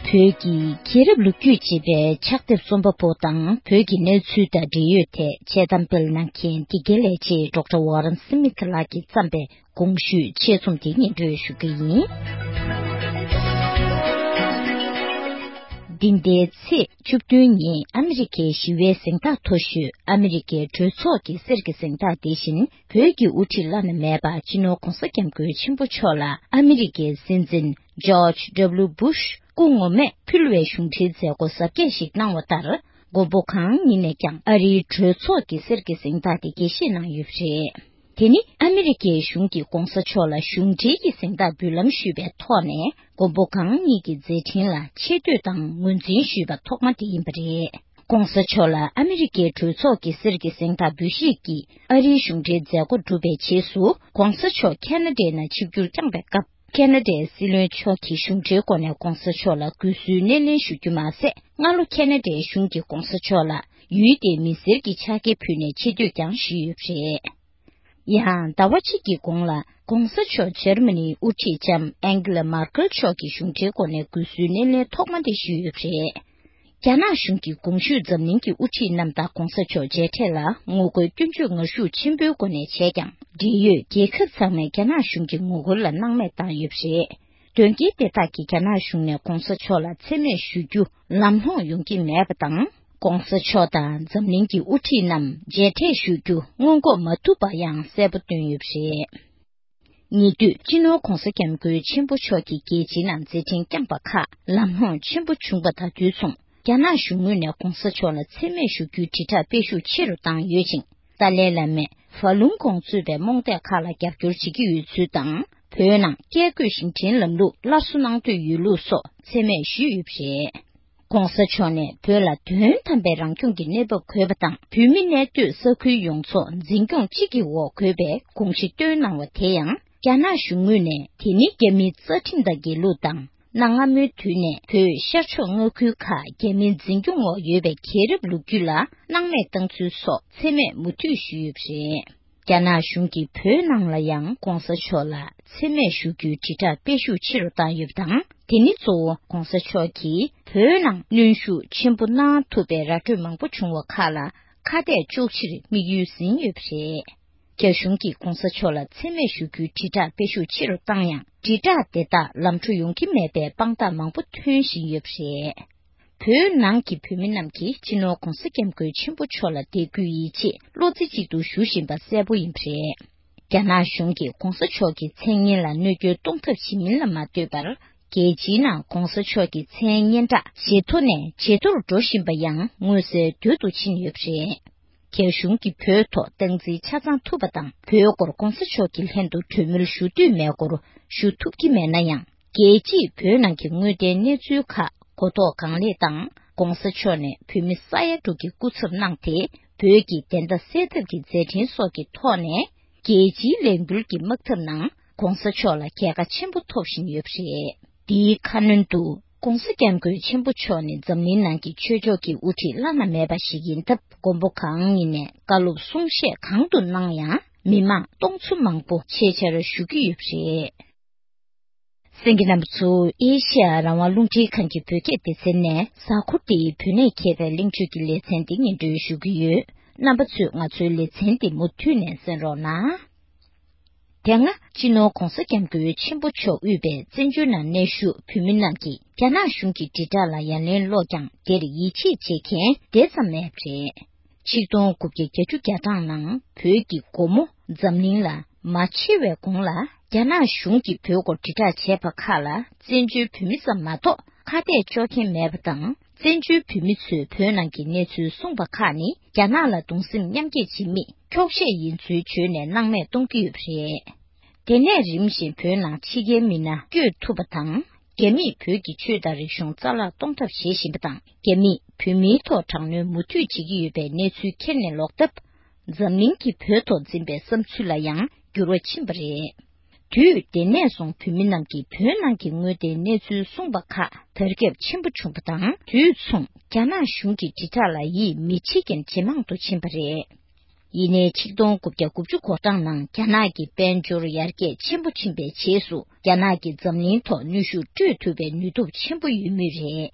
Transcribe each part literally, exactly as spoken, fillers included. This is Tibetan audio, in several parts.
བོད་ཀྱི་རྒྱལ་རབས་ལོ་རྒྱུས་ཅེས་པའི་ཕྱག་དེབ་རྩོམ་པ་པོ་དང་བོད་ཀྱི་གནས་ཚུལ་དང་འབྲེལ་ཡོད་ཐད་དཔྱད་གཏམ་སྤེལ་གནང་མཁན་དགེ་རྒན་ལས་བྱེད་ཌོག་ཊར་ཝོ་རན་སི་མིད་ལགས་ཀྱིས་བརྩམས་པའི་གོང་ཞུས་ཆེད་རྩོམ་དེ་སྙན་སྒྲོན་ཞུ་གི་ཡིན། འདི་ཟླའི་ཚེས་བཅུ་བདུན་ཉིན་ཨ་མི་རི་ཀའི་ཞི་བའི་གཟེངས་རྟགས་མཐོ་ཤོས་ཨ་མི་རི་ཀའི་གྲོས་ཚོགས་ཀྱི་གསེར་གྱི་གཟེངས་རྟགས་དེ་བཞིན་བོད་ཀྱི་དབུ་ཁྲིད་བླ་ན་མེད་པ་སྤྱི་ནོར་༧གོང་ས་༧སྐྱབས་མགོན་ཆེན་པོ་མཆོག་ལ་ཨ་མི་རི་ཀའི་སྲིད་འཛིན་ཇོརྗ་ཌབ་ལིའུ་སྦུ་ཤ་སྐུ་ངོ་མས་ཕུལ་བའི་གཞུང་འབྲེལ་མཛད་སྒོ་གཟབ་རྒྱས་ཤིག་གནང་བ་ལྟར། མགོན་པོ་གང་ཉིད་ནས་ཀྱང་ཨ་རིའི་གྲོས་ཚོགས་ཀྱི་གསེར་གྱི་གཟེངས་རྟགས་དེ་དགྱེས་བཞེས་གནང་ཡོད་པ་རེད། དེ་ནི་ཨ་མི་རི་ཀའི་གཞུང་གིས་༧གོང་ས་མཆོག་ལ་གཞུང་འབྲེལ་གྱི་གཟེངས་རྟགས་འབུལ་ལམ་ཞུས་པའི་ཐོག་ནས། མགོན་པོ་གང་ཉིད་ཀྱི་མཛད་འཕྲིན་ལ་ཆེ་བསྟོད་དང་ངོས་འཛིན་ཞུས་པ་ཐོག་མ་དེ་ཡིན་པ་རེད། ༧གོང་ས་མཆོག་ལ་ཨ་མི་རི་ཀའི་གྲོས་ཚོགས་ཀྱི་གསེར་གྱི་གཟེངས་རྟགས་འབུལ་བཞེས་ཀྱིས་ཨ་རིའི་གཞུང་འབྲེལ་མཛད་སྒོ་གྲུབ་པའི་རྗེས་སུ། ༧གོང་ས་མཆོག་ཁ་ན་ཌའི་ནང་ཆིབས་བསྒྱུར་བསྐྱངས་པའི་སྐབས། ཁ་ན་ཌའི་སྲིད་བློན་མཆོག་གིས་གཞུང་འབྲེལ་སྒོ་ནས་༧གོང་ས་མཆོག་ལ་གུས་བསུའི་སྣེ་ལེན་ཞུ་རྒྱུ་མ་ཟད། སྔ་ལོ་ཁ་ན་ཌའི་གཞུང་གིས་༧གོང་ས་མཆོག་ལ་ཡུལ་དེའི་མི་སེར་གྱི་ཕྱག་འཁྱེར་ཕུལ་ནས་ཆེ་བསྟོད་ཀྱང་ཞུས་ཡོད་པ་རེད། ཡང་ཟླ་བ་གཅིག་གི་གོང་ལ། ༧གོང་ས་མཆོག་འཇར་མ་ནིའི་དབུ་ཁྲིད་ལྕམ་ཨན་གྷི་ལ་མར་ཀལ་མཆོག་གིས་གཞུང་འབྲེལ་སྒོ་ནས་གུས་བསུའི་སྣེ་ལེན་ཐོག་མ་དེ་ཞུས་ཡོད་པ་རེད། རྒྱ་ནག་གཞུང་གིས་གོང་ཞུས་འཛམ་གླིང་གི་དབུ་ཁྲིད་རྣམས་དང་༧གོང་ས་མཆོག་མཇལ་འཕྲད་ལ་ངོ་རྒོལ་སྐྱོན་བརྗོད་ངར་ཤུགས་ཆེན་པོའི་སྒོ་ནས་བྱས་ཀྱང་། འབྲེལ་ཡོད་རྒྱལ་ཁབ་ཚང་མས་རྒྱ་ནག་གཞུང་གི་ངོ་རྒོལ་ལ་སྣང་མེད་བཏང་ཡོད་པ་རེད། དོན་རྐྱེན་དེ་དག་གིས་རྒྱ་ནག་གཞུང་ནས་༧གོང་ས་མཆོག་ལ་མཚན་སྨད་ཞུ་རྒྱུ་ལམ་ལྷོང་ཡོང་གི་མེད་པ་དང་། ༧གོང་ས་མཆོག་དང་འཛམ་གླིང་གི་དབུ་ཁྲིད་རྣམས་མཇལ་འཕྲད་ཞུ་རྒྱུ་སྔོན་འགོག་མ་ཐུབ་པ་ཡང་གསལ་པོ་བཏོན་ཡོད་པ་རེད། ཉེ་དུས་སྤྱི་ནོར་༧གོང་ས་༧སྐྱབས་མགོན་ཆེན་པོ་མཆོག་གིས་རྒྱལ་སྤྱིའི་ནང་མཛད་འཕྲིན་བསྐྱངས་པ་ཁག་ལམ་ལྷོང་ཆེན་པོ་བྱུང་པ་དང་དུས་མཚུངས། རྒྱ་ནག་གཞུང་ངོས་ནས་༧གོང་ས་མཆོག་ལ་མཚན་སྨད་ཞུ་རྒྱུའི་དྲིལ་བསྒྲགས་སྤེལ་ཤུགས་ཆེ་རུ་བཏང་ཡོད་ཅིང་། ཏཱ་ལའི་བླ་མས་ཧྥ་ལུང་ཀོང་གཙོས་པའི་རྨོངས་དད་ཁག་ལ་རྒྱབ་སྐྱོར་བྱེད་ཀྱི་ཡོད་ཚུལ་དང་། བོད་ནང་བཀས་བཀོད་ཤིང་བྲན་ལམ་ལུགས་སླར་གསོ་གནང་འདོད་ཡོད་ལུགས་སོགས་མཚན་སྨད་ཞུས་ཡོད་པ་རེད། ༧གོང་ས་མཆོག་ནས་བོད་ལ་དོན་དམ་པའི་རང་སྐྱོང་གི་གནས་བབ་དགོས་པ་དང་། བོད་མི་གནས་སྡོད་ས་ཁུལ་ཡོངས་རྫོགས་འཛིན་སྐྱོང་གཅིག་གི་འོག་དགོས་པའི་དགོངས་གཞི་བཏོན་གནང་བ་དེ་ཡང་། རྒྱ་ནག་གཞུང་ངོས་ནས་དེ་ནི་རྒྱ་མིའི་རྩ་ཁྲིམས་དང་འགལ་ལུགས་དང་། གནའ་སྔ་མོའི་དུས་ནས་བོད་ཤར་ཕྱོགས་མངའ་ཁུལ་ཁག་རྒྱ་མིའི་འཛིན་སྐྱོང་འོག་ཡོད་པའི་རྒྱལ་རབས་ལོ་རྒྱུས་ལ་སྣང་མེད་བཏང་ཚུལ་སོགས་མཚན་སྨད་མུ་མཐུད་ཞུས་ཡོད་པ་རེད། རྒྱ་ནག་གཞུང་གིས་བོད་ནང་ལ་ཡང་༧གོང་ས་མཆོག་ལ་མཚན་སྨད་ཞུ་རྒྱུའི་དྲིལ་བསྒྲགས་སྤེལ་ཤུགས་ཆེ་རུ་བཏང་ཡོད་པ་དང་། དེ་ནི་གཙོ་བོ་༧གོང་ས་མཆོག་གིས་བོད་ནང་གནོན་ཤུགས་ཆེན་པོ་གནང་ཐུབ་པའི་ར་སྤྲོད་མང་པོ་བྱུང་བ་ཁག་ལ་ཁ་གཏད་གཅོག་ཕྱིར་དམིགས་ཡུལ་ཟིན་ཡོད་པ་རེད། རྒྱ་གཞུང་གིས་༧གོང་ས་མཆོག་ལ་མཚན་སྨད་ཞུ་རྒྱུའི་དྲིལ་བསྒྲགས་སྤེལ་ཤུགས་ཆེ་རུ་བཏང་ཡང་། དྲིལ་བསྒྲགས་དེ་དག་ལམ་འགྲོ་ཡོང་གི་མེད་པའི་དཔང་རྟགས་མང་པོ་ཐོན་བཞིན་ཡོད་པ་རེད། བོད་ནང་གི་བོད་མི་རྣམས་ཀྱིས་སྤྱི་ནོར་༧གོང་ས་༧སྐྱབས་མགོན་ཆེན་པོ་མཆོག་ལ་དད་གུས་ཡིད་ཆེས་བློ་རྩེ་གཅིག་ཏུ་ཞུ་བཞིན་པ་གསལ་པོ་ཡིན་པ་རེད། རྒྱ་ནག་གཞུང་གིས་༧གོང་ས་མཆོག་གི་མཚན་སྙན་ལ་གནོད་སྐྱོན་གཏོང་ཐབས་བྱེད་མིན་ལ་མ་ལྟོས་པར། རྒྱལ་སྤྱིའི་ནང་༧གོང་ས་མཆོག་གི་མཚན་སྙན་གྲགས་ཇེ་མཐོ་ནས་ཇེ་མཐོར་འགྲོ་བཞིན་པ་ཡང་མངོན་གསལ་དོད་དུ་ཕྱིན་ཡོད་པ་རེད། རྒྱ་གཞུང་གིས་བོད་ཐོག་སྟངས་འཛིན་ཆ་ཚང་ཐུབ་པ་དང་། བོད་སྐོར་༧གོང་ས་མཆོག་གི་ལྷན་དུ་གྲོས་མོལ་ཞུ་འདོད་མེད་སྐོར་ཞུ་ཐུབ་ཀྱི་མེད་ན་ཡང་། རྒྱལ་སྤྱིས་བོད་ནང་གི་དངོས་བདེན་གནས་ཚུལ་ཁག་གོ་རྟོགས་གང་ལེགས་དང་། ༧གོང་ས་མཆོག་ནས་བོད་མི་ས་ཡ་དྲུག་གི་སྐུ་ཚབ་གནང་སྟེ། བོད་ཀྱི་བདེན་མཐའ་གསལ་ཐབས་ཀྱི་མཛད་འཕྲིན་སོགས་ཀྱི་ཐོག་ནས། རྒྱལ་སྤྱིའི་ལས་འགུལ་གྱི་དམག་འཐབ་ནང་༧གོང་ས་མཆོག་ལ་རྒྱལ་ཁ་ཆེན་པོ་ཐོབ་བཞིན་ཡོད་པ་རེད། འདིའི་ཁ་སྣོན་དུ། ༧གོང་ས་༧སྐྱབས་མགོན་ཆེན་པོ་མཆོག་ནི་འཛམ་གླིང་ནང་གི་ཆོས་ཕྱོགས་ཀྱི་དབུ་ཁྲིད་བླ་ན་མེད་པ་ཞིག་ཡིན་སྟབས། མགོན་པོ་གང་ཉིད་ནས་བཀའ་སློབ་གསུང་བཤད་གང་དུ་གནང་ཡང་། མི་མང་སྟོང་ཚོ་མང་པོ་ཆེད་བཅར་ཞུ་གི་ཡོད་པ་རེད། གསན་མཁན་རྣམ་པ་ཚོ། ཨེ་ཤེ་ཡ་རང་དབང་རླུང་འཕྲིན་ཁང་གི་བོད་སྐད་སྡེ་ཚན་ནས། གཟའ་འཁོར་འདིའི་བོད་གནས་མཁས་པའི་གླེང་བརྗོད་ཀྱི་ལེ་ཚན་འདི་སྙན་སྒྲོན་ཞུ་གི་ཡོད། རྣམ་པ་ཚོས་ང་ཚོའི་ལེ་ཚན་འདི་མུ་མཐུད་ནས་གསན་རོགས་གནང་། དེ་སྔ་སྤྱི་ནོར་༧གོང་ས་༧སྐྱབས་མགོན་ཆེན་པོ་མཆོག་དབུས་པའི་བཙན་བྱོལ་ནང་གནས་བཞུགས་བོད་མི་རྣམས་ཀྱིས་རྒྱ་ནག་གཞུང་གི་དྲིལ་བསྒྲགས་ལ་ཡ་ལན་སློག་ཀྱང་། དེར་ཡིད་ཆེས་བྱེད་མཁན་དེ་ཙམ་མེད་པ་རེད། ཆིག་སྟོང་དགུ་བརྒྱ་བརྒྱད་ཅུ་གྱ་གྲངས་ནང་བོད་ཀྱི་སྒོ་མོ་འཛམ་གླིང་ལ་མ་ཕྱེ་བའི་གོང་ལ། རྒྱ་ནག་གཞུང་གིས་བོད་སྐོར་དྲིལ་བསྒྲགས་བྱས་པ་ཁག་ལ་བཙན་བྱོལ་བོད་མི་ཙམ་མ་གཏོགས་ཁ་གཏད་གཅོག་མཁན་མེད་པ་དང་། བཙན་བྱོལ་བོད་མི་ཚོས་བོད་ནང་གི་གནས་ཚུལ་གསུངས་པ་ཁག་ནི་རྒྱ་ནག་ལ་གདུང་སེམས་མཉམ་སྐྱེད་བྱེད་མི་འཁྱོག་བཤད་ཡིན་ཚུལ་བརྗོད་ནས་སྣང་མེད་གཏོང་གི་ཡོད་པ་རེད། དེ་ནས་རིམ་བཞིན་བོད་ནང་ཕྱི་རྒྱལ་མི་སྣ་བསྐྱོད་ཐུབ་པ་དང་། རྒྱ་མིས་བོད་ཀྱི་ཆོས་དང་རིག་གཞུང་རྩ་བརླག་གཏོང་ཐབས་བྱེད་བཞིན་པ་དང་། རྒྱ་མིས་བོད་མིའི་ཐོག་དྲག་གནོན་མུ་མཐུད་བྱེད་ཀྱི་ཡོད་པའི་གནས་ཚུལ་ཁྱེར་ནས་ལོག་སྟབས། འཛམ་གླིང་གིས་བོད་ཐོག་འཛིན་པའི་བསམ་ཚུལ་ལ་ཡང་འགྱུར་བ་ཕྱིན་པ་རེད། དུས་དེ་ནས་བཟུང་བོད་མི་རྣམས་ཀྱིས་བོད་ནང་གི་དངོས་བདེན་གནས་ཚུལ་གསུངས་པ་ཁག་དར་ཁྱབ་ཆེན་པོ་བྱུང་པ་དང་། དུས་མཚུངས་རྒྱ་ནག་གཞུང་གི་དྲིལ་བསྒྲགས་ལ་ཡིད་མི་ཆེས་མཁན་ཇེ་མང་དུ་ཕྱིན་པ་རེད། ཡིན་ནའི་ཆིག་སྟོང་དགུ་བརྒྱ་དགུ་བཅུ་གོ་གྲངས་ནང་རྒྱ་ནག་གི་དཔལ་འབྱོར་ཡར་རྒྱས་ཆེན་པོ་ཕྱིན་པའི་རྗེས་སུ། རྒྱ་ནག་གིས་འཛམ་གླིང་ཐོག་ནུས་ཤུགས་སྤྲོད་ཐུབ་པའི་ནུས་སྟོབས་ཆེན་པོ་ཡོད་མུས་རེད།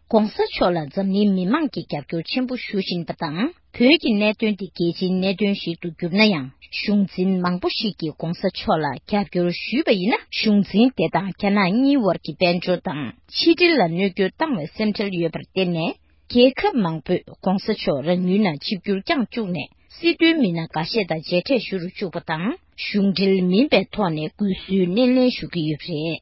ྋགོང་ས་མཆོག་ལ་འཛམ་གླིང་མི་མང་གིས་རྒྱབ་སྐྱོར་ཆེན་པོ་ཞུ་བཞིན་པ་དང་། བོད་ཀྱི་གནད་དོན་དེ་རྒྱལ་སྤྱིའི་གནད་དོན་ཞིག་ཏུ་གྱུར་ན་ཡང་། གཞུང་འཛིན་མང་པོ་ཞིག་གིས་ྋགོང་ས་མཆོག་ལ་རྒྱབ་སྐྱོར་ཞུས་པ་ཡིན་ན། གཞུང་འཛིན་དེ་དང་རྒྱ་ནག་གཉིས་དབར་གྱི་དཔལ་འབྱོར་དང་ཕྱི་འབྲེལ་ལ་གནོད་སྐྱོན་བཏང་བའི་སེམས་ཁྲལ་ཡོད་པར་བརྟེན་ནས། རྒྱལ་ཁབ་མང་པོས་ྋགོང་ས་མཆོག་རང་ཡུལ་ནང་ཆིབས་བསྒྱུར་བསྐྱངས་བཅུག་ནས། སྲིད་དོན་མི་སྣ་འགའ་ཤས་དང་མཇལ་འཕྲད་ཞུ་རུ་བཅུག་པ་དང་། གཞུང་འབྲེལ་མིན་པའི་ཐོག་ནས་གུས་བསུའི་སྣེ་ལེན་ཞུ་གི་ཡོད་པ་རེད།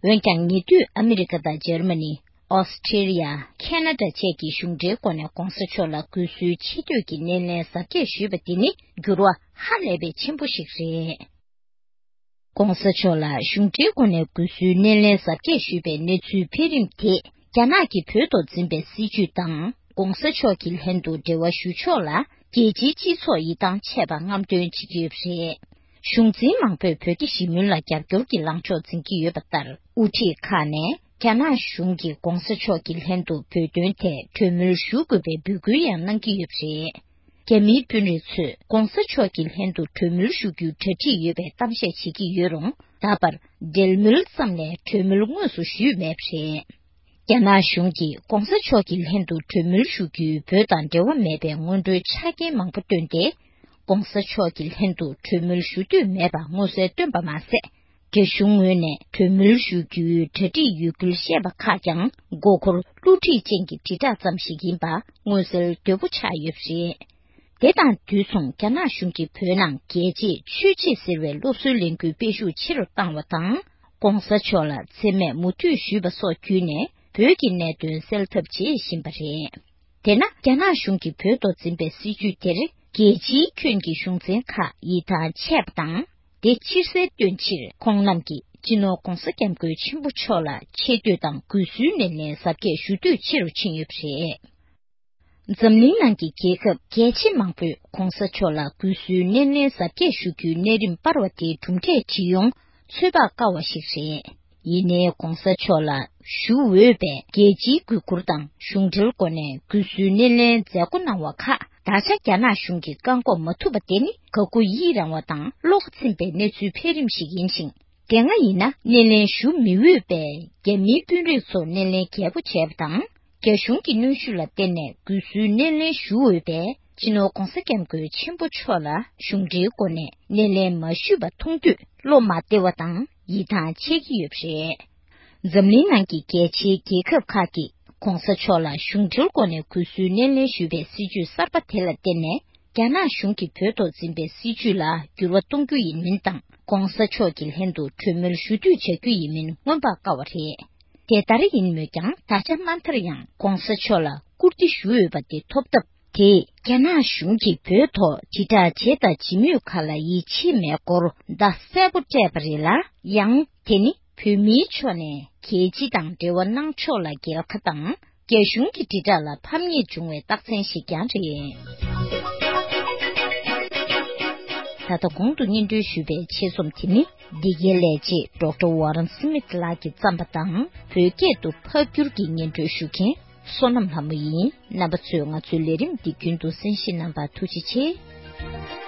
འོན་ཀྱང་། ཉེ་དུས་ཨ་མི་རི་ཀ་དང་འཇར་མ་ནི། ཨོ་སི་ཁྲེ་ལི་ཡ། ཁེ་ན་ཌ་བཅས་ཀྱི་གཞུང་འབྲེལ་སྒོ་ནས་ྋགོང་ས་མཆོག་ལ་གུས་བསུའི་ཆེ་བསྟོད་ཀྱི་སྣེ་ལེན་གཟབ་རྒྱས་ཞུས་པ་དེ་ནི། འགྱུར་བ་ཧ་ལས་པའི་ཆེན་པོ་ཞིག་རེད། ྋགོང་ས་མཆོག་ལ་གཞུང་འབྲེལ་སྒོ་ནས་གུས་བསུའི་སྣེ་ལེན་གཟབ་རྒྱས་ཞུས་པའི་གནས་ཚུལ་འཕེལ་རིམ་དེས། རྒྱ་ནག་གིས་བོད་ཐོག་འཛིན་པའི་སྲིད་བྱུས་དང་། ྋགོང་ས་མཆོག་གི་ལྷན་དུ་འབྲེལ་བ་ཞུ་ཕྱོགས་ལ། རྒྱལ་སྤྱིའི་སྤྱི་ཚོགས་ཡིད་ཐང་ཆད་པ་རྔམ་སྟོན་བྱེད་ཀྱི་ཡོད་པ་རེད། གཞུང་འཛིན་མང་པོས་བོད་རྒྱ་ཞི་མོལ་ལ་རྒྱབ་སྐྱོར་གྱི་ལངས་ཕྱོགས་འཛིན་གྱི་ཡོད་པ་ལྟར། དབུ་ཁྲིད་ཁག་ནས་རྒྱ་ནག་གཞུང་གིས་ྋགོང་ས་མཆོག་གི་ལྷན་དུ་བོད་དོན་ཐད་གྲོས་མོལ་ཞུ་དགོས་པའི་འབོད་སྐུལ་ཡང་གནང་གི་ཡོད་པ་རེད། རྒྱ་མིའི་དཔོན་རིགས་ཚོས་ྋགོང་ས་མཆོག་གི་ལྷན་དུ་གྲོས་མོལ་ཞུ་རྒྱུའི་གྲ་སྒྲིག་ཡོད་པའི་གཏམ་བཤད་བྱེད་ཀྱི་ཡོད་རུང་། ད་བར་འབྲེལ་མོལ་ཙམ་ལས་གྲོས་མོལ་དངོས་སུ་ཞུས་མེད་པ་རེད། རྒྱ་ནག་གཞུང་གིས་ྋགོང་ས་མཆོག་གི་ལྷན་དུ་གྲོས་མོལ་ཞུ་རྒྱུའི་བོད་དང་འབྲེལ་བ་མེད་པའི་སྔོན་འགྲོའི་ཆ་རྐྱེན་མང་པོ་བཏོན་ཏེ། ྋགོང་ས་མཆོག་གི་ལྷན་དུ་གྲོས་མོལ་ཞུ་འདོད་མེད་པ་མངོན་གསལ་བཏོན་པ་མ་ཟད། རྒྱ་གཞུང་ངོས་ནས་གྲོས་མོལ་ཞུ་རྒྱུའི་གྲ་སྒྲིག་ཡོད་ཁུལ་བཤད་པ་ཁག་ཀྱང་། མགོ་འཁོར་བསླུ་བྲིད་ཅན་གྱི་དྲིལ་བསྒྲགས་ཙམ་ཞིག་ཡིན་པ་མངོན་གསལ་དོད་པོ་ཆགས་ཡོད་པ་རེད། དེ་དང་དུས་མཚུངས། རྒྱ་ནག་གཞུང་གིས་བོད་ནང་རྒྱལ་གཅེས་ཆོས་གཅེས་ཟེར་བའི་སློབ་གསོའི་ལས་འགུལ་སྤེལ་ཤུགས་ཆེ་རུ་བཏང་བ་དང་། ྋགོང་ས་མཆོག་ལ་མཚན་སྨད་མུ་མཐུད་ཞུས་པ་སོགས་བརྒྱུད་ནས། བོད་ཀྱི་གནད་དོན་སེལ་ཐབས་བྱེད་བཞིན་པ་རེད། དེས་ན། རྒྱ་ནག་གཞུང་གིས་བོད་ཐོག་འཛིན་པའི་སྲིད་བྱུས་དེར། རྒྱལ་སྤྱིའི་ཁྱོན་གྱི་གཞུང་འཛིན་ཁག་ཡིད་ཐང་ཆད་པ་དང་། དེ་ཕྱིར་གསལ་སྟོན་ཕྱིར། ཁོང་རྣམས་ཀྱིས་སྤྱི་ནོར་༧གོང་ས་༧སྐྱབས་མགོན་ཆེན་པོ་མཆོག་ལ་ཆེ་བསྟོད་དང་གུས་བསུའི་སྣེ་ལེན་གཟབ་རྒྱས་ཞུ་འདོད་ཆེ་རུ་ཕྱིན་ཡོད་པ་རེད། འཛམ་གླིང་ནང་གི་རྒྱལ་ཁབ་གལ་ཆེ་མང་པོས་༧གོང་ས་མཆོག་ལ་གུས་བསུའི་སྣེ་ལེན་གཟབ་རྒྱས་ཞུ་རྒྱུའི་གནས་རིམ་སྤར་བ་དེའི་གྲུབ་འབྲས་ཇི་ཡོང་ཚོད་དཔག་དཀའ་བ་ཞིག་རེད། ཡིན་ནའི་༧གོང་ས་མཆོག་ལ་ཞུ་འོས་པའི་རྒྱལ་སྤྱིའི་གུས་བཀུར་དང་གཞུང་འབྲེལ་སྒོ་ནས་གུས་བསུའི་སྣེ་ལེན་མཛད་སྒོ་གནང་བ་ཁག་ད་ཆ་རྒྱ་ནག་གཞུང་གིས་བཀག་འགོག་མ་ཐུབ་པ་དེ་ནི་དགའ་མགུ་ཡིད་རངས་བ་དང་བློ་ཁ་ཚིམ་པའི་གནས་ཚུལ་འཕེལ་རིམ་ཞིག་ཡིན་ཞིང་། དེ་སྔ་ཡིན་ན་སྣེ་ལེན་ཞུ་མི་འོས་པའི་རྒྱ་མིའི་དཔོན་རིགས་ཚོ་སྣེ་ལེན་རྒྱས་པོ་བྱས་པ་དང་། རྒྱ་གཞུང་གི་གནོན་ཤུགས་ལ་བརྟེན་ནས་གུས་བསུའི་སྣེ་ལེན་ཞུ་འོས་པའི་སྤྱི་ནོར་༧གོང་ས་༧སྐྱབས་མགོན་ཆེན་པོ་མཆོག་ལ་གཞུང་འབྲེལ་སྒོ་ནས་སྣེ་ལེན་མ་ཞུས་པ་མཐོང་དུས་བློ་མ་བདེ་བ་དང་ཡིད་ཐང་ཆད་ཀྱི་ཡོད་པ་རེད། འཛམ་གླིང་ནང་གི་རྒྱལ་ཆེའི་རྒྱལ་ཁབ་ཁག་གིས་༧གོང་ས་མཆོག་ལ་གཞུང་འབྲེལ་སྒོ་ནས་གུས་བསུའི་སྣེ་ལེན་ཞུས་པའི་སྲིད་བྱུས་གསར་པ་དེ་ལ་བརྟེན་ནས། རྒྱ་ནག་གཞུང་གིས་བོད་ཐོག་འཛིན་པའི་སྲིད་བྱུས་ལ་འགྱུར་བ་གཏོང་རྒྱུ་ཡིན་མིན་དང་། ྋགོང་ས་མཆོག་གི་ལྷན་དུ་གྲོས་མོལ་ཞུ་འདོད་བྱ་རྒྱུ་ཡིན་མིན་མངོན་པར་དཀའ་བ་རེད། དེ་ལྟར་ཡིན་མོད་ཀྱང་། ད་ཆ་མ་མཐར་ཡང་ྋགོང་ས་མཆོག་ལ་བཀུར་སྟི་ཞུ་འོས་པ་དེ་ཐོབ་སྟབས། དེས་རྒྱ་ནག་གཞུང་གིས་བོད་ཐོག་དྲིལ་བསྒྲགས་བྱས་དང་བྱེད་མུས་ཁག་ལ་ཡིད་ཆེས་མེད་སྐོར་བརྡ་གསལ་པོ་སྤྲད་པ་རེད་ལ། ཡང་དེ་ནི། བོད་མིའི་ཕྱོགས་ནས་རྒྱལ་སྤྱི་དང་འབྲེལ་བ་གནང་ཕྱོགས་ལ་རྒྱལ་ཁ་དང་། རྒྱ་གཞུང་གི་དྲིལ་བསྒྲགས་ལ་ཕམ་ཉེས་བྱུང་བའི་རྟགས་མཚན་ཞིག་ཀྱང་རེད། ད་ལྟ་གོང་དུ་སྙན་སྒྲོན་ཞུས་པའི་ཆེད་རྩོམ་དེ་ནི། འདི་གའི་ལས་བྱེད་ཌོག་ཊར་ཝ་རན་སི་མིད་ལགས་ཀྱིས་བརྩམས་པ་དང་། བོད་སྐད་དུ་ཕབ་བསྒྱུར་གྱིས་སྙན་སྒྲོན་ཞུ་མཁན་བསོད་ནམས་ལྷ་མོ་ཡིན། རྣམ་པ་ཚོས་ང་ཚོའི་ལས་རིམ་འདི་རྒྱུན་དུ་གསན་བཞེས་གནང་བར་ཐུགས་རྗེ་ཆེ།